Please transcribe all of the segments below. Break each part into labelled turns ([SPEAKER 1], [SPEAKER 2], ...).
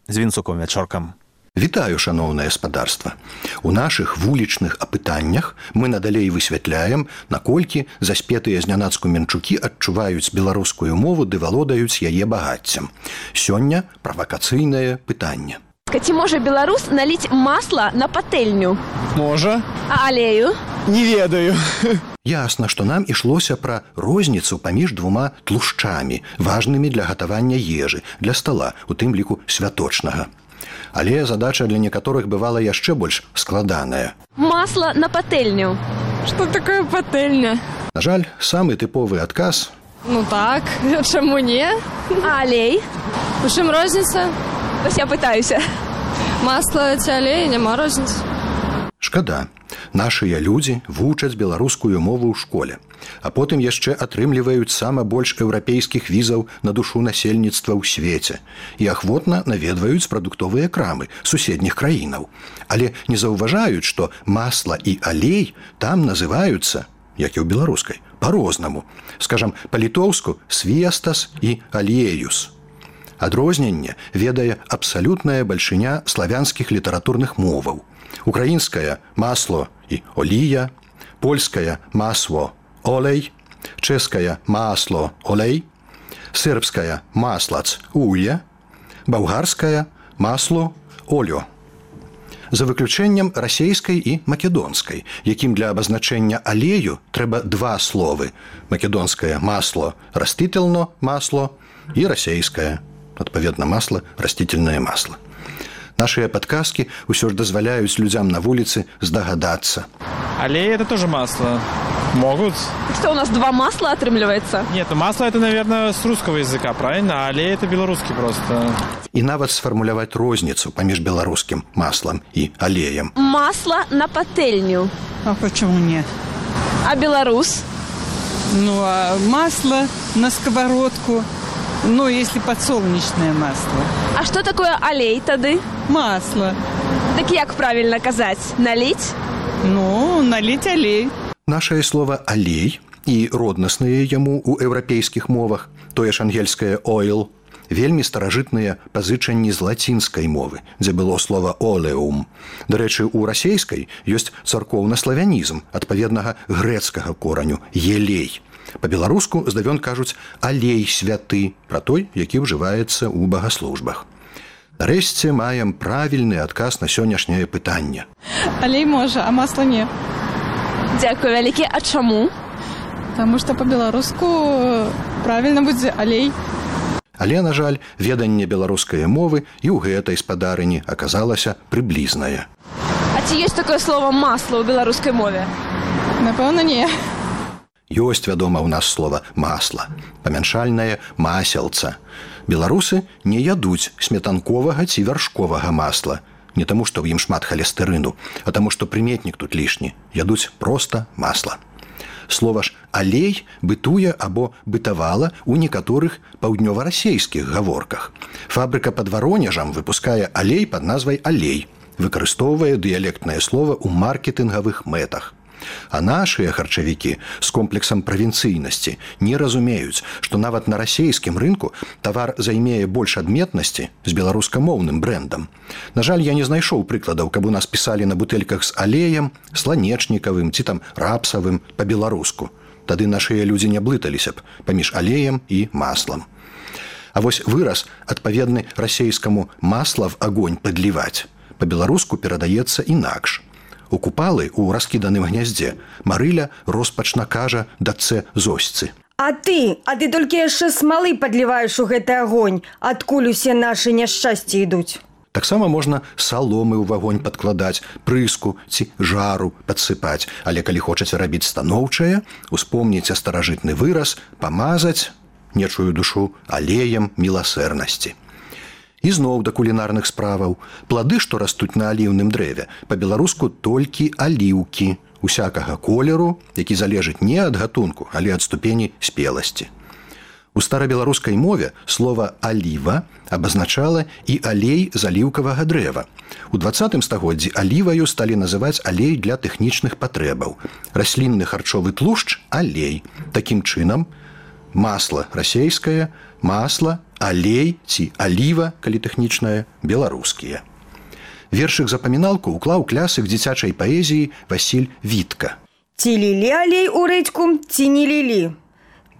[SPEAKER 1] з Вінцуком Вячоркам.
[SPEAKER 2] Вітаю, шаноўнае спадарства. У нашых вулічных апытаннях мы надалей высвятляем, наколькі заспетыя знянацку менчукі адчуваюць беларускую мову ды валодаюць яе багаццем. Сёння правакацыйнае пытанне.
[SPEAKER 3] Ці можа беларус наліць масла на патэльню?
[SPEAKER 4] Можа.
[SPEAKER 3] А алею?
[SPEAKER 4] Не ведаю.
[SPEAKER 2] Ясна, што нам ішлося пра розніцу паміж двума тлушчамі, важнымі для гатавання ежы, для стала, у тым ліку святочнага. Але задача для некаторых бывала яшчэ больш складаная.
[SPEAKER 3] Масла на патэльню.
[SPEAKER 5] Что такое патэльня?
[SPEAKER 2] На жаль, самы тыповы адказ.
[SPEAKER 5] Ну так, чаму не?
[SPEAKER 3] А алей?
[SPEAKER 5] У чым розніца?
[SPEAKER 3] Вось я пытаюся.
[SPEAKER 5] Масла ці алей, няма розніцы.
[SPEAKER 2] Шкада. Нашыя людзі вучаць беларускую мову ў школе, а потым яшчэ атрымліваюць сама больш еўрапейскіх візаў на душу насельніцтва ў свеце і ахвотна наведваюць прадуктовыя крамы суседніх краінаў. Але не заўважаюць, што масла і алей там называюцца, як і ў беларускай, па-рознаму. Скажам, па-літоўску свестас і алеюс. Адрозненне ведае абсалютная бальшыня славянскіх літаратурных моваў. Украінская масло і олія, польская масло олей, чэшская масло олей, сербская маслац уе, балгарская масло олё. За выключэннем расейскай і македонскай, якім для абазначэння алею трэба два словы: македонскае масло растительно масло і расейскае, адпаведна, масло растительное масло. Нашыя падказкі ўсё ж дазваляюць людзям на вуліцы здагадацца.
[SPEAKER 4] Аллея – это тоже масло. Могут.
[SPEAKER 3] Что, у нас два масла отрымліваецца?
[SPEAKER 4] Нет, масло – это, наверное, с русского языка, правильно? А аллея – это белорусский просто.
[SPEAKER 2] І нават сфармуляваць розніцу паміж беларускім маслам і алеем.
[SPEAKER 3] Масло на патэльню.
[SPEAKER 6] А почему нет?
[SPEAKER 3] А беларус?
[SPEAKER 6] Ну, а масло на сковородку, ну, если подсолнечное масло.
[SPEAKER 3] А что такое алей тады?
[SPEAKER 6] Масло.
[SPEAKER 3] Так як правильно казаць? Наліць?
[SPEAKER 6] Ну, налить алей.
[SPEAKER 2] Нашае слова «алей» і роднасныя яму ў еўрапейскіх мовах, тое ж ангельскае «oil», вельмі старажытныя пазычанні з лацінскай мовы, дзе было слова «oleum». Дарэчы, у расейскай ёсць царкоўна-славянізм адпаведнага грэцкага кораню «елей». Па-беларуску здавён кажуць «алей святы» пра той, які ўжываецца ў багаслужбах. Нарэшце маем правільны адказ на сённяшняе пытанне.
[SPEAKER 5] Алей можа, а масла не.
[SPEAKER 3] Дзякую вялікі. А чаму?
[SPEAKER 5] Потому что по-беларуску правильно будзе алей.
[SPEAKER 2] Але, на жаль, веданне беларускай мовы і ў гэтай спадарыні аказалася прыблізнае.
[SPEAKER 3] А ці ёсць такое слово масло ў беларускай мове?
[SPEAKER 5] Напэўна, не.
[SPEAKER 2] Ёсць, вядома, ў нас слова «масла», памяншальнае «маселца». Беларусы не ядуць сметанковага ці вяршковага масла. Не таму, што ў ім шмат халестэрыну, а таму, што прыметнік тут лішні. Ядуць проста масла. Слова ж «алей» бытуе або бытавала ў некаторых паўднёва-расейскіх гаворках. Фабрыка пад Варонежам выпускае алей пад назвай «алей», выкарыстоўвае дыялектнае слова ў маркетынгавых мэтах. А нашыя харчавікі з комплексам правінцыйнасці не разумеюць, што нават на расейскім рынку тавар займее больш адметнасці з беларускамоўным брэндам. На жаль, я не знайшоў прыкладаў, каб у нас пісалі на бутэльках з алеем, сланечнікавым ці там рапсавым па-беларуску. Тады нашыя людзі не блыталіся б паміж алеем і маслам. А вось выраз, адпаведны расейскаму «масла в огонь падліваць», па-беларуску перадаецца інакш. У купалы ў раскіданым гняздзе Марыля роспачна кажа дачцэ Зосьцы:
[SPEAKER 7] А ты толькі яшчэ смалы падліваеш у гэты агонь, адкуль усе нашы няшчасці ідуць.
[SPEAKER 2] Таксама можна саломы ў вагонь падкладаць, прыску ці жару падсыпаць, але калі хочаце рабіць станоўчае, успомніце старажытны выраз «памазаць нечую душу алеем міласэрнасці». І зноў да кулінарных справаў. Плады, што растуць на аліўным дрэве, па-беларуску толькі аліўкі, усякага колеру, які залежыць не ад гатунку, але ад ступені спеласці. У старабеларускай мове слова «аліва» абазначала і алей з аліўкавага дрэва. У 20 стагоддзі аліваю сталі называць алей для тэхнічных патрэбаў. Раслінны харчовы тлушч – алей. Такім чынам, масла расейскае, масла алей ці аліва, калі тэхнічная, беларускія. Вершык запаміналку ўклаў клясык дзіцячай паэзіі Васіль Вітка.
[SPEAKER 7] Ці лілі алей у рэдзьку, ці не лілі?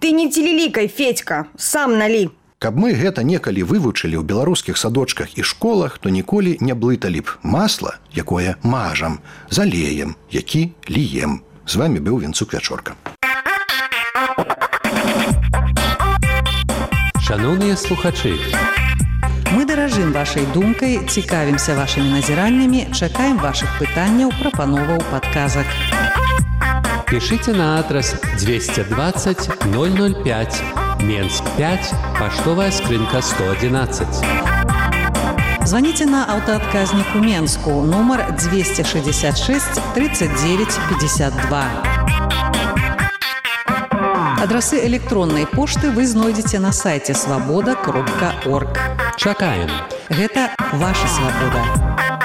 [SPEAKER 7] Ты не цілілікай, Федька, сам налі.
[SPEAKER 2] Каб мы гэта некалі вывучылі ў беларускіх садочках і школах, то ніколі не блыталі б масла, якое мажам, з алеем, які ліем. З вами быў Вінцук Вячорка.
[SPEAKER 1] Шановныя слухачы, мы даражым вашай думкай, цікавімся вашымі назіраннямі, чакаем вашых пытанняў, прапановаў, падказак. Пішыце на адрас 220 005, Менск 5, паштовая скрынка 111. Звоните на аўтаадказнік у Менску, нумар 266 39 52. Адрасы электроннай пошты вы знойдзеце на сайце свабода.орг. Чакаем. Гэта ваша свабода.